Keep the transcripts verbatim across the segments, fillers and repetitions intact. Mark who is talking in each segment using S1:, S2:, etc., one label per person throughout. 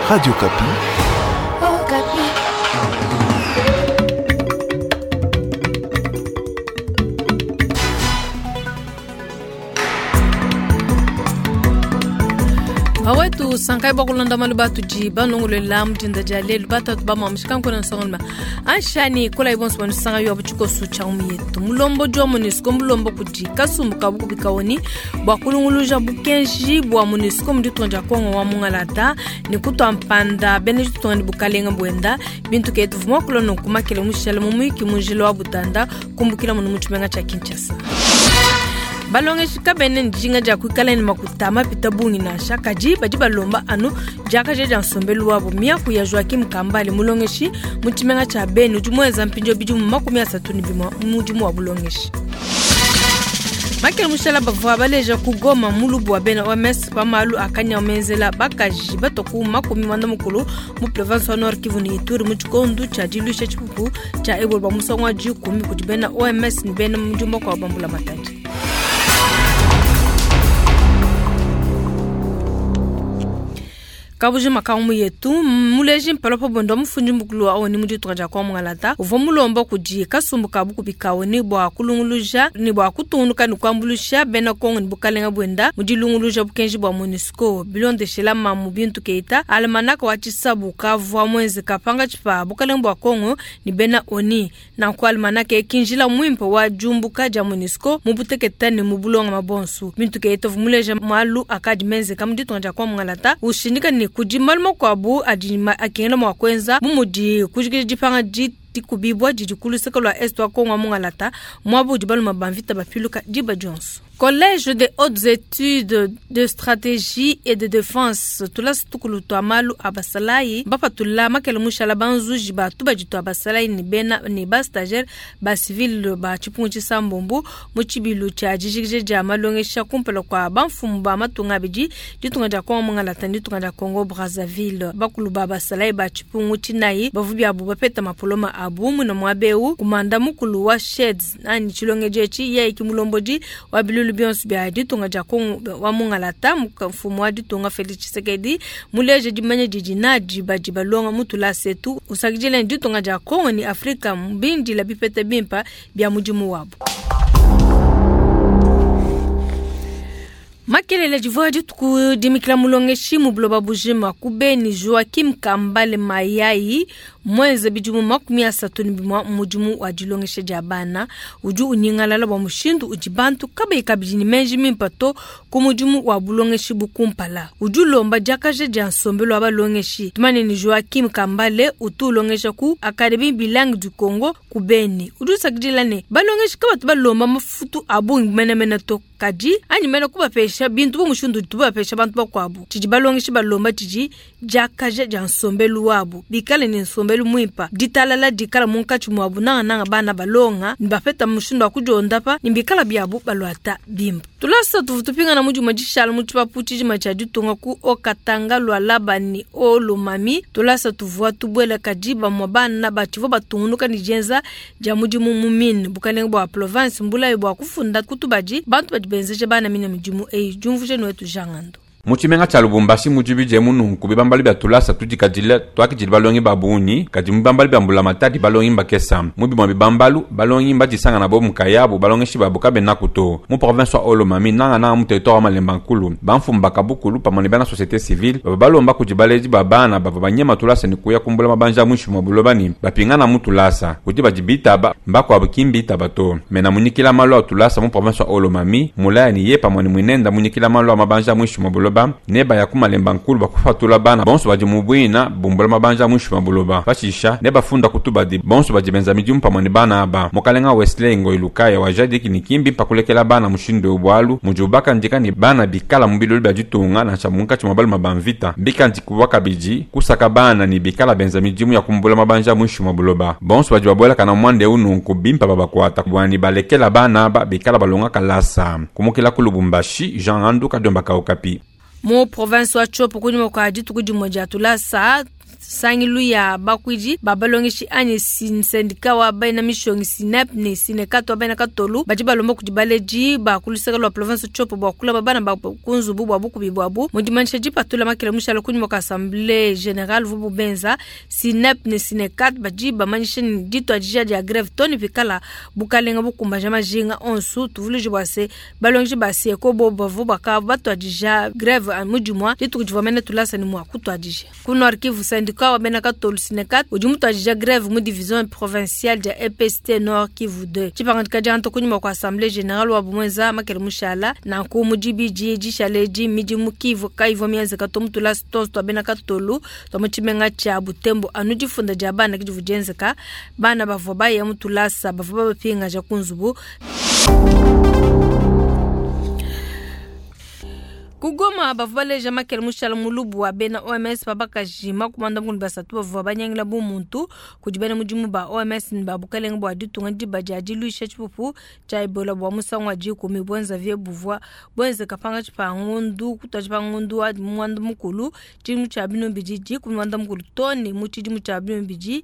S1: Radio Okapi.
S2: Okapi.
S3: Awetu sankai bakulonda malu batudi banongolela mudinda dia lelu batatu bamwamushikankola nsongoloma anshani kola ibonso banu sanga yo butshikosu tsha umietu mulombo jwa MONUSCO mulombo kudi kasumbu ka bukubikawoni bwa kulunguluja bukenji bwa MONUSCO muditunga dia Kongo wa mungalata ni kutwa mpanda bene ditunga ni bukalenga bwenda bintu ketu vumwa kulono kumakele mushele mumwiki munjila wa butanda kumbukila munu mutshimenga tsha Kinshasa. Balongeshi kabene njinga dia kuikala ni makuta mapita bungi nansha kadi badi balomba anu diakaja dia nsombelu wabo miaku ya Joaquim Kambale mulongeshi mu tshimenga tshia Beni udi muenza mpindio bidimu makumi asatu ne bimue mu mudimu wa bulongeshi. Makele mushala bavua baleja ku Goma mulubu wa bena O M S pa malu akanya menzela bakaji batoku makumi mwanda mukulu mu province wa Nord Kivu ni Ituri mu tshikondo tshia dilusha tshipupu tshia Ebola ba musangu wa dikumi kudi bena O M S ni bena mujumba kwa bambula matadi. Kabuji makamu yetu muleji mpalo pa bondo mufundi mukulu wa oni muditunga dia kwa mungalata uvua mulomba kudi kasumbu ka bukubikawo ni bwa kulunguluja ni bwa kutungunuka ni kuambulusha bena Kongo ni bukalenga bwenda mudilunguluja bukenji bwa MONUSCO bilondeshela mamu bintu keita almanaka wa tshisabu kavua mwenze kapanga tshipa bukalenga bwa Kongo ni bena oni na ku almanaka ekinjila mwimpe wa jumbuka dia MONUSCO mubuteketa ni mubulonga mabonsu bintu keita vumuleja malu akadi menze kamuditunga dia kwa mungalata ushindika ni kudi malu makuabu adi akengela mwa kwenza bumudi kujikija dipanga dikubibwa didi kuluseka lua est wa Kongo mungalata mwabu udi baluma bamvita bapiluka diba dionso. Collège des hautes études de stratégie et de défense tulasa tukulu twa malu abasalayi bapatula makele mushala banzuji batu baditu abasalayi ni bena ni ba stagiaire ba civil ba tshipungu tshisambombo mu tshibilu tshia dijikija dia malongesha kumpala kwa bamfumu ba matunga abidi ditunga dia Kongo mungalata ni ditunga dia Congo Brazzaville bakulu ba basalayi ba tshipungu tshinayi bavu biabu bapeta mapoloma abu muna mwabeu kumanda mukulu wa sheds nani tshilongeje tshi yeye kimulombodi wa bilulu bionso bia ditunga dia Kongo wa mungalata mfumu wa ditunga Felix Tshisekedi muleje dimanya didi nadi badi balonga mutula setu usakijile ditunga dia Kongo ni Afrika mbindi la bipete bimpa bia mudimu wabo. Makelele divua dituku dimikila mulongeshi mu buloba bujima ku Beni Joaquim Kambale Mayayi mwenze bidimu makumi asatu ne bimue mudimu wa dilongesha dia bana udi unyingalala bua mushindu udi bantu kabayi kabidi ne menji mimpe to ku mudimu wa bulongeshi bukumpala udi ulomba diakaja dia nsombelu wa balongeshi tumane ni Joaquim Kambale utu ulongesha ku Académie Bilingue du Congo ku Beni udi usakidila ne balongeshi kabatu balomba mafutu a bungi menemene to kadi anyi mene kubapesha bintu bu mushindu tubapesha bantu bakuabu tshidi balongeshi balomba tshidi diakaja dia nsombelu wabu bikale ne nsombelu mwimpa ditalala dikala munkatshi mwabu nangananga bana balonga nibapeta mushindu wa kudiondapa nibikala biabu balwata bimpa tulasa tuvu tupingana mudimue dishala mu tshipapu tshidima tshia ditunga ku okatanga lwa labani olomami tulasa tuvua tubuela kadi bamue bana batshivua batungunuka ne dienza dia mudimu mu mine bukalenga bua province mbulayi bua kufunda kutubadi bantu badi benzeje bana mine midimu eyi diumvuje nuetu jangando.
S4: Mu tshimenga tshia Lubumbashi mu dibidi mununku bibambali bia tulasa tudikadile tuakidile balongi ba bungi kadi mu bibambali bia mbulamatadi balongi mbakesa mu bimue bibambalu balongi mbadisangana bo mukayabu balongeshi babu kabenaku to mu province wa Olomami nangananga mu territoire wa Malemba Nkulu bamfumu bakabukulu pamue ne bena société civile bava balomba kudi baledi ba bana bava banyema tulasa ne kuya kumbula mabanja muinshi mua buloba ne bapingana mu tulasa kudi badi bitaba mbakuabu ki mbitaba to mena munyikila malu a tulasa mu province wa Olomami mulaya ne ye pamue ne muinenda munyikila malu a mabanja muinshi mua buloba ne baya ku Malemba Nkulu bakufatula bana bonso badi mu bwina bumbula mabanja muinshi mua buloba pashisha ne bafunda kutubadi bonso badi benza midimu pamue ne bana aba mukalenga Wesley Ngoyi Lukaya wa jadiki ni kimbi pakulekela bana mushindu bwalu mudi ubakandika ne bana bikala mu bilulu bia ditunga nansha munkatshi mua baluma ba mvita mbikandikibwa kabidi kusaka bana ne bikala benza midimu ya kumbula mabanja muinshi mua buloba bonso badi babuelakana mwanda eu nunku bimpa babakuata bwani balekela bana aba bikala balonga kalasa kumukila ku Lubumbashi Jean Andu Kadiomba ka Okapi.
S3: Mu province wa Tshopo kunyima kua dituku dimue dia tulasa Nsangilu ya bakuidi ba balongeshi anyi syndicat wa bena mishonyi SYNEP ne SYNECAT wa bena katolu badi balomba kudi baledi ba ku luseke lua province Tshopo bua kulaba bana ba ku nzubu bua bukubi buabu. Mu dimanyisha dipatula makela mushala kunyima kua assemblée générale vubu benza, SYNEP ne SYNECAT badi bamanyisha ne dituadija dia grève too ne pikala bukalenga bukumbaja majinga onso. Tuvuluije bua se balongeshi ba SYECO bobu bavua bakavua batuadija grève mu dimua dituku divua mene tulasa ne mua kutuadija. Ku Nord Kivu, syndicat wa bena katolu SYNECAT udi mutuadija grève mu division provinciale dia E P S T Nord Kivu deux. Tshipangadika dia nto kunyima kua assemblée générale wa bumwenza makele mushala nanku mu dibidi dishale di midimu Kivu kaivua mienzeka to mu tulasa tonso tua bena katolu tua mu tshimenga tshia Butembo anu difunda dia bana ke divua dienzeka. Bana bavua baya mu tulasa bavua babapingaja ku nzubu. Kugoma bavua baleja makele mushala mulubu wa bena O M S babakaji makumanda mukulu basatu bavua banyangila bu muntu kudi bena mudimu ba O M S ne ba bukalenge bua ditunga diba dia diluisha tshipupu tshia Ebola bua musangu wa dikumi buenza vie buvua buenzeka pangatshi pa ngondu kutuadija pa ngondu wa muanda mukulu tshidimu tshia binu bidi dikumi muanda mukulu too ne mu tshidimu tshia binu bidi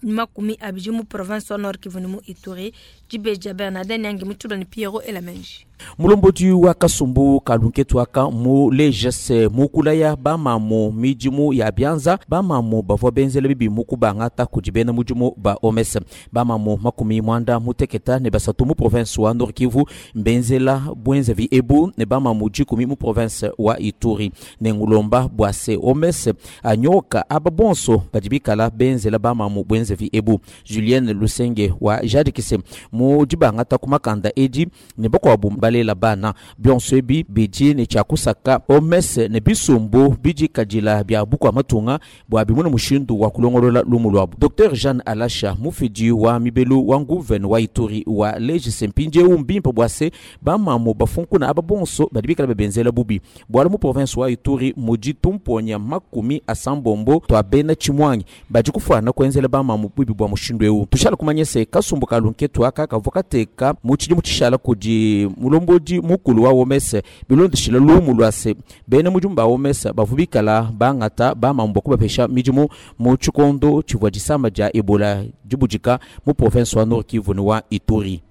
S3: makumi abidi mu province wa Nord Kivu ne mu Ituri. Dibeja Bernardin Nyangi Mutshula ne Pierrot Elamenji.
S1: Mulombodi wa kasumbu kalunketu aka mu lejese mukulaya bamamu midimu ya bianza bamamu bavua benzela bibi mukubangata kudi bena mudimu ba O M S bamamu makumi mwanda muteketa ne basatu mu province wa Nord Kivu mbenzela bwenzevi ebu ne bamamu dikumi mu province wa Ituri ne ngulomba bwa se O M S anyoka aba bonso badi bikala benzela bamamu bwenzevi ebu. Julienne Lusenge wa Jadikise mu dibangata kumakanda edi ne bakwabu balela bana bionso ebi bidi ne tshiakusaka O M S ne bisumbu bidi kadila bia bukua matunga bua bimuna mushindu wa kulongolola lumu lwabu. Docteur Jeanne Alasha mufidi wa mibelu wa nguvene wa Ituri wa legise mpindieu mbimpe bua se bamamu bafunkuna aba bonso badi bikala babenzela bubi bwala mu province wa Ituri mudi tumponya makumi asambombo twa bena chimwangi badi kufuana kuenzela bamamu bubi bua mushindu eu. Tushala kumanya se kasumbu kalunketu aka kavua kateka mu tshidimu tshishala kudi mulombodi mukulu wa O M S bilondeshila lumu lwa se bena mudimu ba O M S bavua bikala bangata bamamu bua kubapesha midimu mu tshikondo tshivua disama dia Ebola dibudika mu province wa Nord Kivu ne wa Ituri.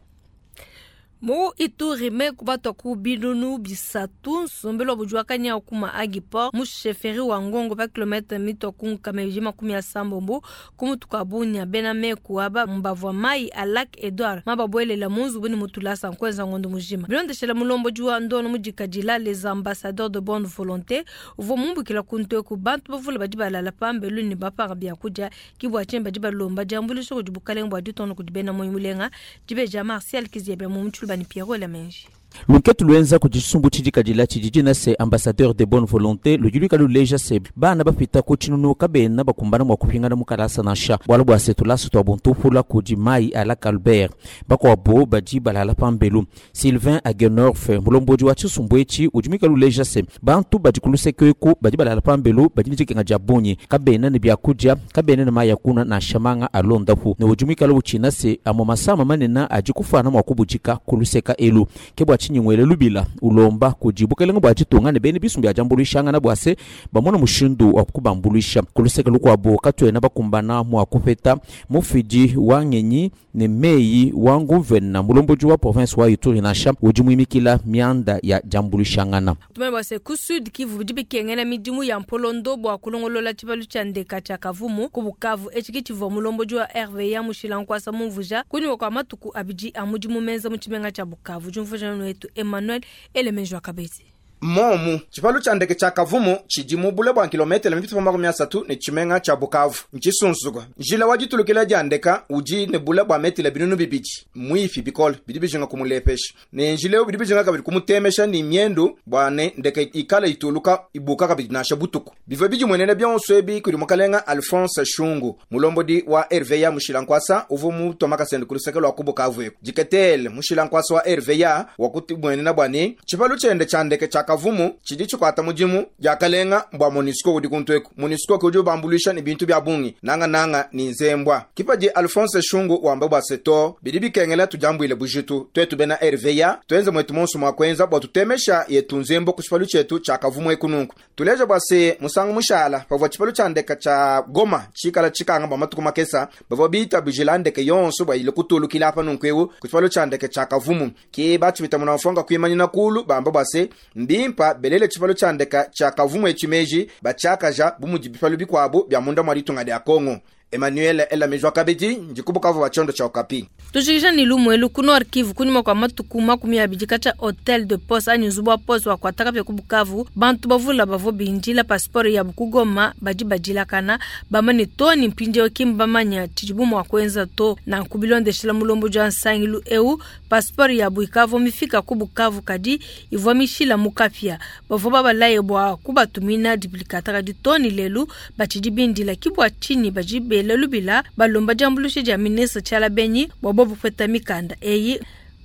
S3: Mu Ituri me kubatwa ku binunu bisatu nsombelo bujua kanya kuma Agiport mu chefferie wa Ngongo pa kilomètre mito ku nkameji makumi ya sambombo ku mutuka bunya bena me kuaba mbavwa mai a Lac Edouard mababwelela munzu buni mutulasa nkwenza ngondo mujima bilondeshela mulombo jua ndono mujikadila les ambassadeurs de bonne volonté uvo mumbukila kuntu ku bantu bavula badi balala pambelu ne bapanga bya kudia kibwa chemba dibalomba jambulisho kudi bukalenge bwa ditono kudi bena moyi mulenga dibeja Martial Kiziebe mu mutulu bani Pierrot Lamenji.
S1: Lunketu lwenza ku tshisumbu tshidikadila tshidi na se ambassadeur de bonne volonté ludi luikala luleja se bana bapita ku tshinunu kabena bakumbana mua kupingana mu kalasa nansha bualu bua se tulasa tua buntupula kudi mai a Lac Albert bakuabo badi balala pambelu. Sylvain Agenorf mulombodi wa tshisumbu etshi udi muikala luleja se bantu badi ku luseke eku badi balala pambelu badi ne dikenga dia bungi kabena ne biakudia kabena ne mayi a kunua nansha manga alondapu ne udi muikala utshina se amue masama manene adi kufuana mua kubudika ku luseka elu ke bua tshinyingwele lubila ulomba kudi bukelenge bua ditunga ne bene bisumbu bia diambuluishangana bua se bamona mushindu wa kubambuluisha ku luseke lukuabu katuena bakumbana mua kupeta mufidi wa ngenyi ne meyi wa nguvena mulombodi wa province wa Ituri nansha udi muimikila mianda ya diambuluishangana.
S3: Tumanye bua se ku Sud Kivu bidi bikengela midimu ya mpolondo bua kulongolola tshibalu tshia ndeka tshia Kavumu ku Bukavu etshi ke tshivua mulombodi wa R V A Mushila Nkwasa mumvuja kunyima kua matuku abidi a mudimu menza mu tshimenga tshia Bukavu. Diumvuja wetu Emmanuel Elemenjo Akabezi.
S5: Momu tshipalu tshia ndeke tshia Kavumu tshidi mu bule bua kilometele mipite makumi asatu ne tshimenga tshia Bukavu ntshisunsuka. Njila wa ditulukila dia ndeka udi ne bule bua metele binunu bibidi mwifi bikole bidi bijinga kumulepesha ne njila eu bidi bijinga kabidi kumutemesha ni miendu bua ne ndeke ikala ituluka ibuka kabidi nansha butuku. Bivua bidimuenene bionso ebi kudi mukalenga Alphonse Shungu mulombodi wa R V A Mushila Nkwasa uvua mutoma kasende ku luseke lua ku Bukavu eku. Diketele Mushila Nkwasa wa R V A wakutimuenena bua ne tshipalu tshiende tshia ndeke tshia Kavumu tshidi tshikwata mudimu diakalenga mbwa MONUSCO udi kuntu eku. MONUSCO udi ubambuluisha ne bintu bia bungi nanga-nanga ni nzembwa. Kipadi Alphonse Shungu wamba bwa seto bidi bikengela tujambuile bujitu twetu bena R V A twenze mwetu monso mwa kwenza bwa tutemesha yetu nzembo ku tshipalu tshietu tshia Kavumu ekununku. Tuleja bwa se musangu mushala pavua tshipalu tshia ndeka tshia Goma tshikala tshikanga bwa matuku makesa, bavua bita bujila ndeke yonso bwa ile kutulukila apa nunku ewu ku tshipalu tshia ndeke tshia Kavumu. Ki batshipita muna mfonga kuimanyina kulu bamba bwa se mbimpa belele tshipalu tshia ndeka tshia Kavumu etshi batshiakaja bu mudi bipalu bikuabu bia munda mwa ditunga dia Kongo. Emmanuel Elamejwa kabidi ndikubukavu wa tshiondo tshia Okapi.
S3: Tujikisha ni lumwelu ku Nord Kivu, kunyuma kwa matuku makumi abidi katshia hotel de poste anyi nzubu wa poste wakuataka pia ku Bukavu, bantu bavula bavua bindila passeport yabu ku Goma badi badilakana bamane to ni mpindieu ki mbamanya tshidibu mua kuenza to. Nanku bilondeshela mulombo dia nsangilu eu, passeport yabu ikavua mifika ku Bukavu kadi ivua mishila mu kapia. Bavua babalaye bua kubatumina duplicata, kadi to ni lelu batshidi bindila. Ki bua tshinyi badi bela lubila balomba diambuluisha dia ministre Tshiala Benyi bua bobu kupeta mikanda eyi.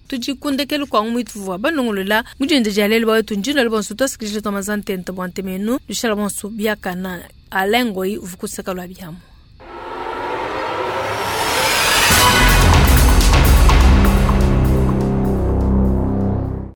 S3: Tudikundekelu kwa ngumu ituvua banongolola mudiende dia lelu bawetu ndino bonso twasikilije twamazantente bua ntemenu lushala bonso biakana Alain Ngoyi uvukuseka lwa biamu.